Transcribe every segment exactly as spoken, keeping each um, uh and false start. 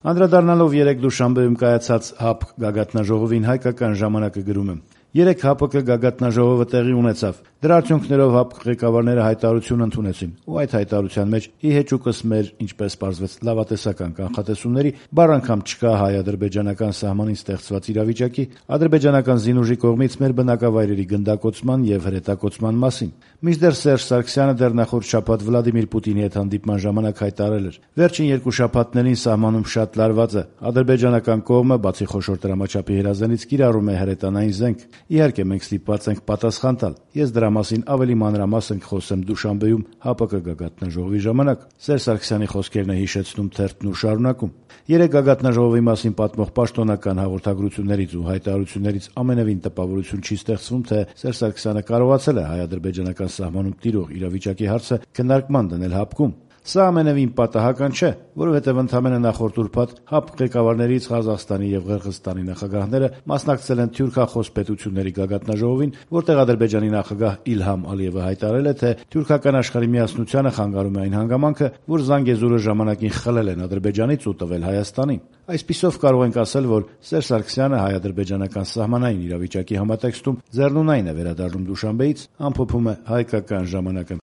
Անդրադառնալով երեկ Դուշանբեում կայացած ՀԱՊԿ գագաթնաժողովին հայկական ժամանակը գրում է. Երեկ ՀԱՊԿ գագաթնաժողովը տեղի ունեցավ. դրա արդյունքներով ՀԱՊԿ ղեկավարները հայտարարություն ընդունեցին ու այդ հայտարարության մեջ ի հեճուկս մեր, ինչպես պարզվեց, լավատեսական կանխատեսումների բառ անգամ չկա հայ-ադրբեջանական սահմանին ստեղծված իրավիճակի, ադրբեջանական զինուժի կողմից մեր բնակավայրերի գնդակոծման եւ հրետակոծման մասին։ Մինչդեռ Սերժ Սարգսյանը դեռ նախորդ շաբաթ Վլադիմիր Պուտինի հետ հանդիպման ժամանակ հայտարարել էր. վերջին երկու շաբաթներին սահմանում շատ լարված է, ադրբեջանական կողմը, բացի խոշոր դրամաչափի հրազենից, կիրառում է հրետանային զենք։ Իհարկե մենք ստիպված ենք պատասխան տալ։ Ես դրա մասին ավելի մանրամասն կխոսեմ Դուշանբեում ՀԱՊԿ գագաթնաժողովի ժամանակ։ Սերժ Սարգսյանի խոսքերն է հիշեցնում թերթն ու շարունակում. երեկ գագաթնաժողովի մասին պատմող պաշտոնական հաղորդագրություններից ու հայտարարություններից ամենևին տպավորություն չի ստեղծվում, թե Սերժ Սարգսյանը կարողացել է հայ-ադրբեջանական սահմանում տիրող իրավիճակի հարցը քննարկման դնել ՀԱՊԿ-ում։ Սա ամենևին պատահական չէ, որովհետև ընդամենը նախորդ ուրբաթ ՀԱՊԿ ղեկավարներից Ղազախստանի եւ Ղրղըզստանի նախագահները մասնակցել են թյուրքախոս պետությունների գագաթնաժողովին, որտեղ Ադրբեջանի նախագահ Իլհամ Ալիևը հայտարարել է, թե թյուրքական աշխարհի միասնությանը խանգարում է այն հանգամանքը, որ Զանգեզուրը ժամանակին խլել են Ադրբեջանից ու տվել Հայաստանին։ Այսպիսով կարող ենք ասել, որ Սերժ Սարգսյանը հայ-ադրբեջանական սահմանային իրավիճակի համատեքստում ձեռնունայն է վերադառնում Դուշանբեից, ամփոփում է հայկական ժամանակը։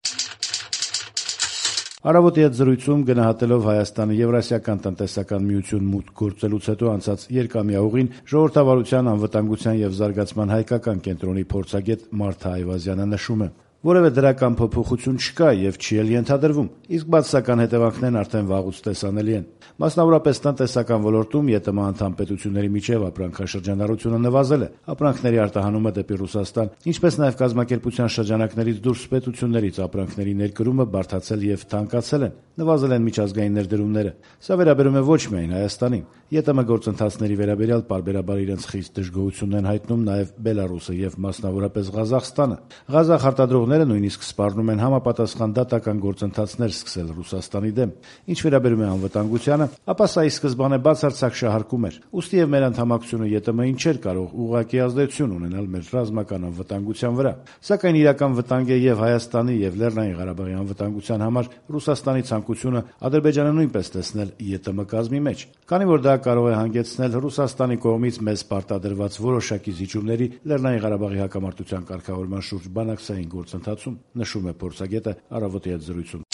Առավոտի հետ զրույցում գնահատելով Հայաստանը Եվրասիական տնտեսական միություն մուտք գործելուց հետո անցած երկամյա ուղին ժողովրդավարության, անվտանգության եւ զարգացման հայկական կենտրոնի փորձագետ Մարթա Այվազյանը նշում է. որևէ դրական փոփոխություն չկա եւ չի էլ ենթադրվում, իսկ բացասական հետևանքներն արդեն վաղուց տեսանելի են։ Մասնավորապես տնտեսական ոլորտում ԵՏՄ անդամ պետությունների միջև ապրանքաշրջանառությունը նվազել է, ապրանքների արտահանումը դեպի Ռուսաստան, ինչպես նաեւ կազմակերպության շրջանակներից դուրս պետություններից ապրանքների ներկրումը բարդացել եւ թանկացել են, նվազել են միջազգային ներդրումները։ Սա վերաբերում է ոչ միայն Հայաստանին։ ԵՏՄ գործընթացների վերաբերյալ պարբերաբար իրենց խիստ դժգոհությունն են հայտնում նաեւ Բելարուսը եւ մասնավորապես Ղազախստանը։ Ղազախ արտադրողները նույնիսկ սպառնում են համապատասխան դատական գործընթացներ սկսել Ռուսաստանի դեմ։ Ինչ վերաբերում է անվտանգությանը, ապա սա ի սկզբանե բացարձակ շահարկում էր։ Ուստի եւ մեր անդամակցությունը ԵՏՄ-ին չէր կարող ուղղակի ազդեցություն ունենալ մեր ռազմական անվտանգության վրա։ Սակայն իրական վտանգ է եւ Հայաստանի եւ Լեռնային Ղարաբաղի անվտանգության համար Ռուսաստանի ցանկությունը Ադրբեջանը նույնպես տեսնել ԵՏՄ կազմի մեջ, քանի որ դա կարող է հանգեցնել Ռուսաստանի կողմից մեզ պարտադրված որոշակի զիջումների Լեռնային Ղարաբաղի հակամարտության կարգավորման շուրջ բանակցային գործընթացում, նշում է փորձագետը առավոտի հետ զրույցում։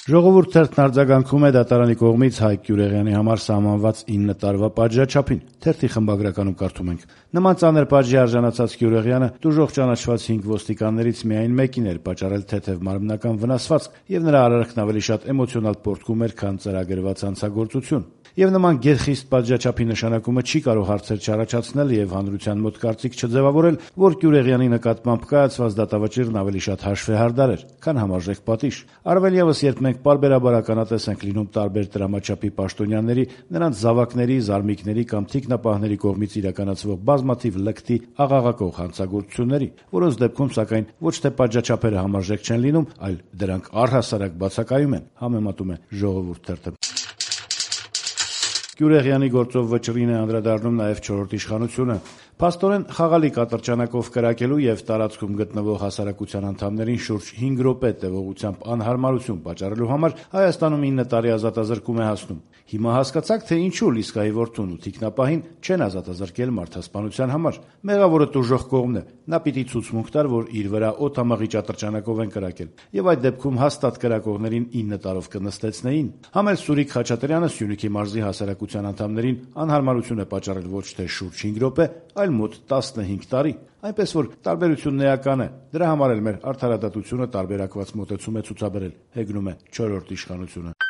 Ժողովուրդ թերթն արձագանքում է դատարանի կողմից Հայկ Գյուրեղյանի համար սահմանված ինը տարվա պատժաչափին։ Թերթի խմբագրականում կարդում ենք. նման ծանր պատժի արժանացած Գյուրեղյանը դժոխք ճանաչված հինգ ոստիկաններից միայն մեկին էր պատճառել թեթև մարմնական վնասվածք եւ նրա արարքն ավելի շատ էմոցիոնալ պոռթկում էր, քան ծրագրված հանցագործություն։ Եվ նման գերխիստ պատժաչափի նշանակումը չի կարող հարցեր չառաջացնել եւ հանրության մոտ կարծիք չձևավորել, որ Գյուրեղյանի նկատմամբ կայացված դատավճիռն ավելի շատ հաշվեհարդար էր, քան համարժեք պատիժ։ Առավել եւս, երբ մենք պարբերաբար ականատես ենք լինում տարբեր դրամաչափի պաշտոնյաների, նրանց զավակների, զարմիկների կամ թիկնապահների կողմից իրականացվող բազմաթիվ լկտի աղաղակող հանցագործությունների, որոնց դեպքում սակայն ոչ թե պատժաչափերը համարժեք չեն լինում, այլ դրանք առհասարակ բացակայում են, համեմատում է Ժողովուրդ թերթը։ Գյուրեղյանի գործով վճռին է անդրադառնում նաև չորրորդ իշխանությունը։ Փաստորեն խաղալի կատրճանակով կրակելու եւ տարածքում գտնվող հասարակության անդամներին շուրջ հինգ րոպե տևողությամբ անհարմարություն պատճառելու համար Հայաստանում ինը տարի ազատազրկում է հասնում։ Հիմա հասկացաք, թե ինչու Լիսկայի որդուն ու թիկնապահին չեն ազատազրկել մարդասպանության համար։ Մեղավորը տուժող կողմն է։ Նա պիտի ցուցմունք տար, որ իր վրա օդամաղի ճատրճանակով են կրակել, եւ այդ դեպքում հաստատ կրակողներին ինը տարով կնստեցնեին։ Համել Սուրիկ Խաչատրյանը Սյունիքի մարզի հասարակության անդամներին անհարմարություն է պատճառել ոչ թե շուրջ հինգ րոպե, այլ մոտ տասնհինգ տարի, այնպես որ տարբերությունն էական է։ Դրա համար էլ մեր արդարադատությունը տարբերակված մոտեցում է ցուցաբերել, հեգնում է չորրորդ իշխանությունը։